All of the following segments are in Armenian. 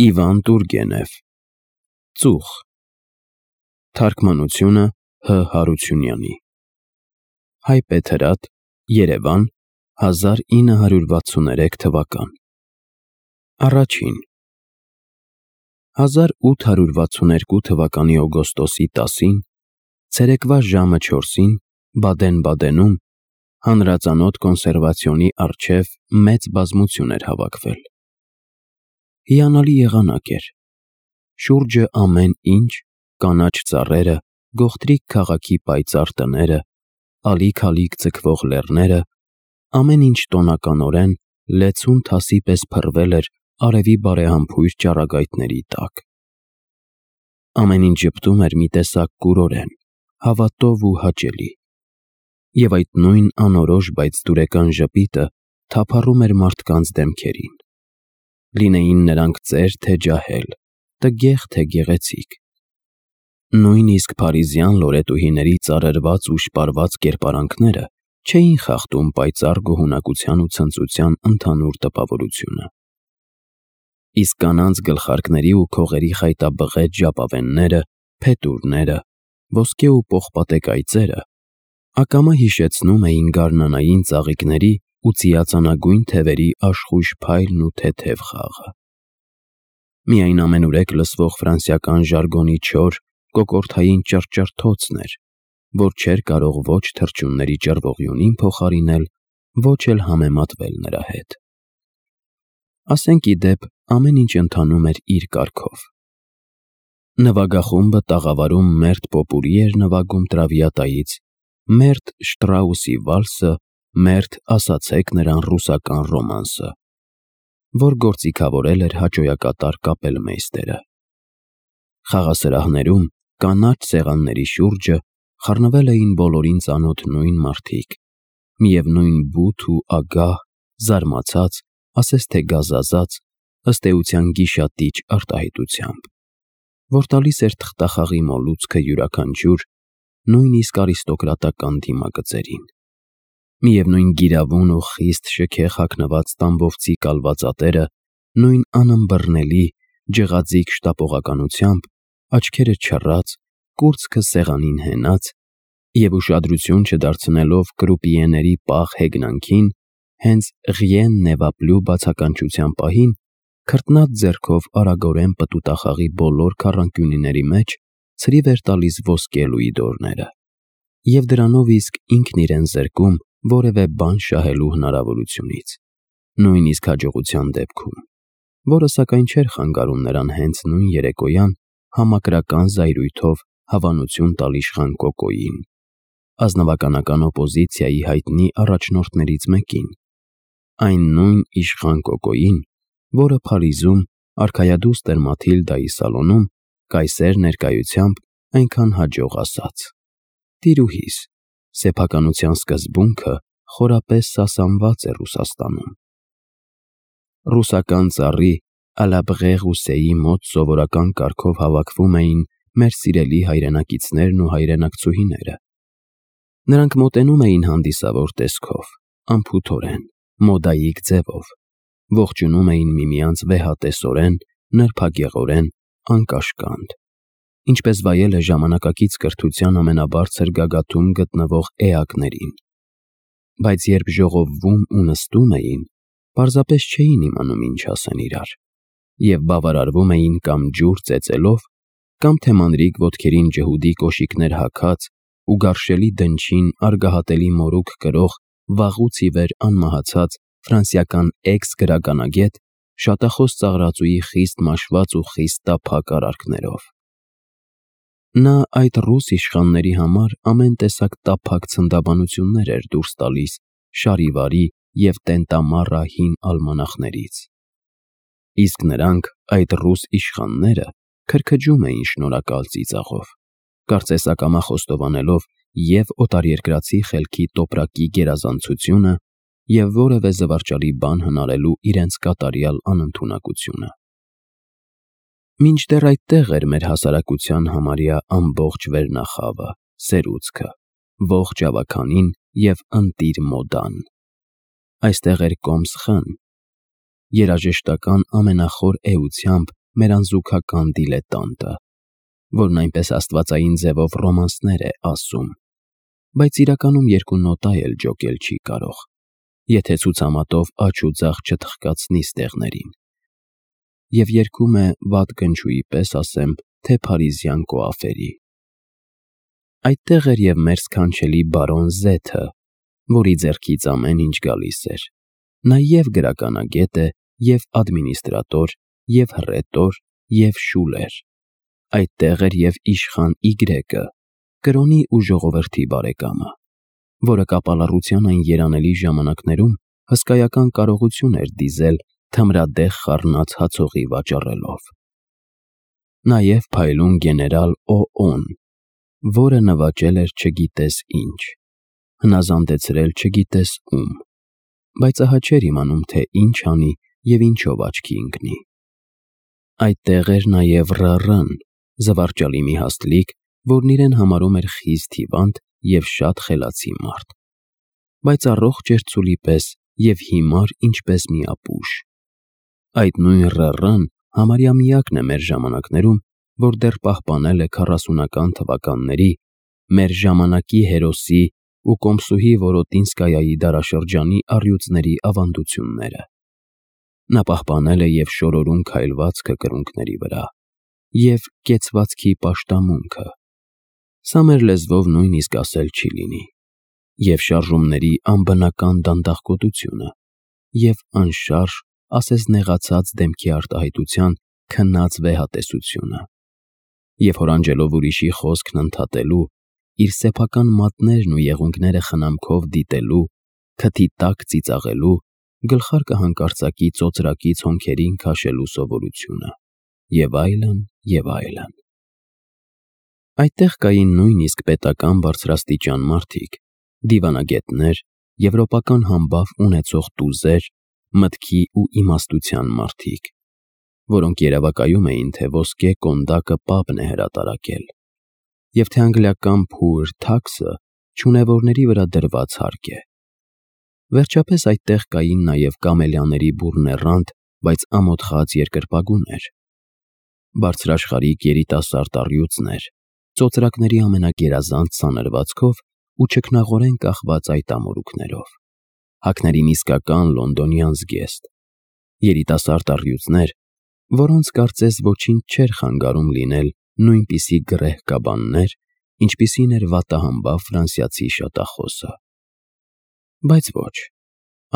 Իվան Տուրգենև Ծուխ Թարգմանությունը Հ. Հարությունյանի Հայպետ Հրատ Երևան 1963 թվական Առաջին 1862 թվականի օգոստոսի 10-ին ցերեկվա ժամը 4-ին Բադեն-Բադենում հանրածանոթ կոնսերվացիոնի առջև մեծ բազմություն էր հավաքվել։ Հիանալի եղանակ էր։ Շուրջը ամեն ինչ, կանաչ ծառերը, գողտրիկ քաղաքի պայծառ տները, ալիք-ալիք ձգվող լեռները, ամեն ինչ տոնականորեն լեցուն թասի պես փռվել էր արևի բարեհամբույր ճառագայթների տակ։ Ամեն ինչ ժպտում էր մի տեսակ կուրորեն, հավատով ու հաճելի, և այդ նույն անորոշ, բայց դուրեկան ժպիտը թափառում էր մարդկանց դեմքերին։ Լինեին նրանք ծեր թե ջահել, տգեղ թե գեղեցիկ։ Նույնիսկ փարիզյան լորետուհիների ծարրված ու շպարված կերպարանքները չէին խախտում պայծառ գոհունակության ու ցնծության ընդհանուր տպավորությունը։ Իսկ կանանց գլխարկների ու քողերի խայտաբղետ ժապավենները, փետուրները, ոսկե ու պողպատե կայծերը ակամա հիշեցնում էին գարնանային ծաղիկների ու ծիածանագույն թևերի աշխույժ փայլն ու թեթև խաղը։ Միայն ամենուրեք լսվող ֆրանսիական ժարգոնի չոր, կոկորդային ճռճռթոցն էր, որ չէր կարող ոչ թռչունների ճռվողյունին փոխարինել, ոչ էլ համեմատվել նրա հետ։ Ասենք ի դեպ, ամեն ինչ ընթանում էր իր կարգով։ Նվագախումբը տաղավարում մերթ պոպուրի էր նվագում Տրավիատայից, մերթ Շտրաուսի վալսը, մերթ ասացեք նրան ռուսական ռոմանսը, որ գործիքավորել էր հաճոյակատար կապելմեյստերը։ Խաղասրահներում, կանաչ սեղանների շուրջը խառնվել էին բոլորին ծանոթ նույն մարդիկ, միևնույն բութ ու ագահ, զարմացած, ասես թե գազազած, ըստ էության գիշատիչ արտահայտությամբ, որ տալիս էր թղթախաղի մոլուցքը յուրաքանչյուր, նույնիսկ արիստոկրատական դիմագծերին։ Միևնույն գիրավուն ու խիստ շքեղ հագնված տամբովցի կալվածատերը նույն անըմբռնելի, ջղաձիգ շտապողականությամբ, աչքերը չռած, կուրծքը սեղանին հենած և ուշադրություն չդարձնելով կրուպիեների պաղ հեգնանքին, հենց «Rien ne va plus» բացականչության պահին, քրտնած ձեռքով արագորեն պտուտախաղի բոլոր քառանկյունիների մեջ ցրիվ էր տալիս ոսկե լուիդորները, և դրանով իսկ ինքն իրեն զրկում որևէ բան շահելու հնարավորությունից, նույնիսկ հաջողության դեպքում, որը սակայն չէր խանգարում նրան հենց նույն երեկոյան համակրական զայրույթով հավանություն տալ իշխան Կոկոյին, ազնվականական օպոզիցիայի հայտնի առաջնորդներից մեկին, այն նույն իշխան Կոկոյին, որը Փարիզում արքայադուստր Մաթիլդայի սալոնում կայսեր ներկայությամբ այնքան հաջող ասաց. «Տիրուհիս, սեփականության սկզբունքը խորապես սասանված է Ռուսաստանում»։ Ռուսական ծառի Ալաբղե-Ղուսեի մոտ սովորական կարգով հավաքվում էին մեր սիրելի հայրենակիցներն ու հայրենակցուհիները։ Նրանք մոտենում էին հանդիսավոր տեսքով, անփութորեն, մոդայիկ ձևով, ողջունում էին միմյանց վեհատեսորեն, նրբագեղորեն, անկաշկանդ, ինչպես վայել է ժամանակակից կրթության ամենաբարձր գագաթում գտնվող էակներին, բայց երբ ժողովվում ու նստում էին, պարզապես չէին իմանում ինչ ասեն իրար, և բավարարվում էին կամ ջուր ծեծելով, կամ թե մանրիկ ոտքերին ջհուդի կոշիկներ հագած ու գարշելի դնչին արգահատելի մորուք կրող վաղուց ի վեր անմահացած ֆրանսիական էքս-գրականագետ շատախոս ծաղրածուի խիստ մաշված ու խիստ տափակ արարքներով։ Նա այդ ռուս իշխանների համար ամեն տեսակ տափակ ցնդաբանություններ էր դուրս տալիս շարիվարի և տենտամառա հին ալմանախներից, իսկ նրանք, այդ ռուս իշխանները, քրքջում էին շնորհակալ ծիծաղով, կարծես ակամա խոստովանելով և օտարերկրացի խելքի տոպրակի գերազանցությունը և որևէ զվարճալի բան հնարելու իրենց կատարյալ անընդունակությունը։ Մինչդեռ այդտեղ էր մեր հասարակության համարյա ամբողջ վերնախավը, սերուցքը, ողջ ավագանին և ընտիր մոդան։ Այստեղ էր Կոմս Խ-ն, երաժշտական ամենախոր էությամբ մերանզուգական դիլետանտը, որն այնպես աստվածային ձևով ռոմանսներ է ասում, բայց իրականում երկու նոտա էլ ջոկել չի կարող, եթե ցուցամատով աջ ու ձախ չթխկացնի ստեղներին, և երգում է վատ գնչուի պես ասեմ, թե փարիզյան կոաֆերի։ Այդտեղ էր և մեր սքանչելի բարոն Զեթը, որի ձեռքից ամեն ինչ գալիս էր։ Նա և գրականագետ է, և ադմինիստրատոր, և հռետոր, և շուլեր։ Այդտեղ էր և իշխան Y-ը, կրոնի ու ժողովրդի բարեկամը, որը կապալառության այն երանելի ժամանակներում հսկայական կարողություն էր դիզել թմրադեղ խառնած հացողի վաճառելով։ Նաև փայլուն գեներալ Օ.Օ.-ն, որը նվաճել էր չգիտես ինչ, հնազանդեցրել չգիտես ում, բայց ահա չէր իմանում, թե ինչ անի և ինչով աչքի ընկնի։ Այդտեղ էր նաև Ռ.Ռ.-ն, զվարճալի մի հաստլիկ, որն իրեն համարում էր խիստ հիվանդ և շատ խելացի մարդ, բայց առողջ էր ցուլի պես և հիմար ինչպես մի ապուշ։ Այդ նույն Ռ.Ռ.-ն համարյա միակն է մեր ժամանակներում, որ դեռ պահպանել է 40-ական թվականների մեր ժամանակի հերոսի ու Կոմսուհի Որոտինսկայայի դարաշրջանի առյուծների ավանդությունները։ Նա պահպանել է և շորորուն քայլվածքը կրունկների վրա, և կեցվածքի պաշտամունքը, սա մեր լեզվով նույնիսկ ասել չի լինի, և շարժումների անբնական դանդաղկոտությունը, և անշարժ, ասես նեղացած դեմքի արտահայտության քնած վեհատեսությունը, և հորանջելով ուրիշի խոսքն ընդհատելու, իր սեփական մատներն ու եղունգները խնամքով դիտելու, քթի տակ ծիծաղելու, գլխարկը հանկարծակի ծոծրակից հոնքերին քաշելու սովորությունը, և այլն, և այլն։ Այդտեղ կային նույնիսկ պետական բարձրաստիճան մարդիկ, դիվանագետներ, եվրոպական համբավ ունեցող տուզեր, մտքի ու իմաստության մարդիկ, որոնք երևակայում էին, թե ոսկե կոնդակը պապն է հրատարակել, և թե անգլիական poor tax-ը չունևորների վրա դրված հարկ է։ Վերջապես այդտեղ կային նաև կամելիաների բուռնեռանդ, բայց ամոթխած երկրպագուներ, բարձրաշխարհիկ երիտասարդ առյուծներ, ծոծրակների ամենագերազանց սանրվածքով ու չքնաղորեն կախված այտամորուքներով, հագներին իսկական լոնդոնյան զգեստ, երիտասարդ առյուծներ, որոնց կարծես ոչինչ չէր խանգարում լինել նույնպիսի գրեհ կաբաններ, ինչպիսին էր վատահամբավ ֆրանսիացի շատախոսը։ Բայց ոչ,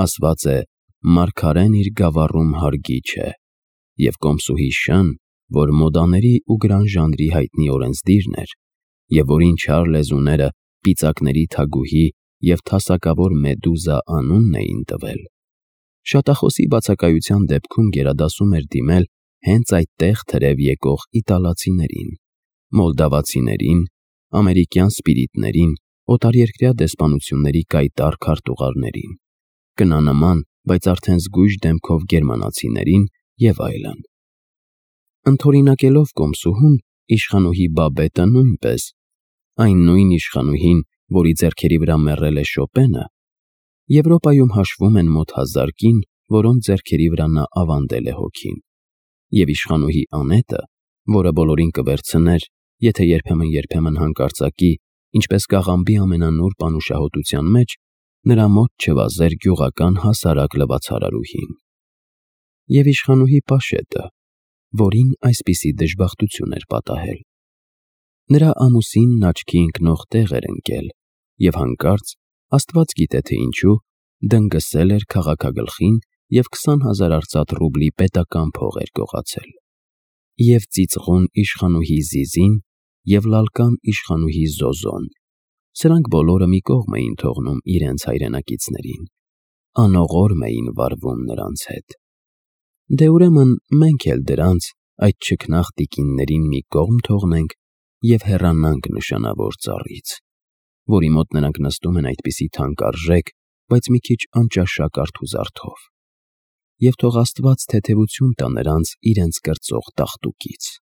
ասված է, մարգարեն իր գավառում հարգի չէ, և Կոմսուհի Շ-ն, որ մոդաների ու գրան ժանրի հայտնի օրենսդիրն էր, և որին չար լեզուները պիծակների թագուհի և թասակավոր Մեդուզա անունն էին տվել, շատախոսի բացակայության դեպքում գերադասում էր դիմել հենց այդտեղ թրև եկող իտալացիներին, մոլդավացիներին, ամերիկյան սպիրիտներին, օտարերկրյա դեսպանությունների կայտառ քարտուղարներին, կնանման, բայց արդեն զգույշ դեմքով գերմանացիներին և այլն։ Ընդօրինակելով Կոմսուհուն, իշխանուհի Բաբետը նույնպես, այն նույն իշխանուհին, որի ձեռքերի վրա մեռել է Շոպենը, Եվրոպայում հաշվում են մոտ 1000 կին, որոնց ձեռքերի վրա նա ավանդել է հոգին, և իշխանուհի Անետը, որը բոլորին կվերցներ, եթե երբեմն հանկարծակի, ինչպես կաղամբի ամենանուրբ անուշահոտության մեջ, նրա մոտ չվազեր գյուղական հասարակ լվացարարուհին, և իշխանուհի Պաշետը, որին այսպիսի դժբախտություն էր պատահել։ Նրա ամուսինն աչքի ընկնող տեղ էր ընկել, և հանկարծ, աստված գիտե թե ինչու, դնգսել էր քաղաքագլխին և 20,000 արծաթ ռուբլի պետական փող էր գողացել։ Եվ ծիծղուն իշխանուհի Զիզին և լալկան իշխանուհի Զոզոն, սրանք բոլորը մի կողմ էին թողնում իրենց հայրենակիցներին, անողորմ էին վարվում նրանց հետ։ Դե ուրեմն մենք էլ դրանց, այդ չքնաղ տիկիններին մի կողմ թողնենք և հեռանանք նշանավոր ծառից, որի մոտ նրանք նստում են այդպիսի թանկարժեք, բայց մի քիչ անճաշակ արթուզարդով, և թող աստված թեթևություն տա նրանց իրենց կրծող տաղտուկից։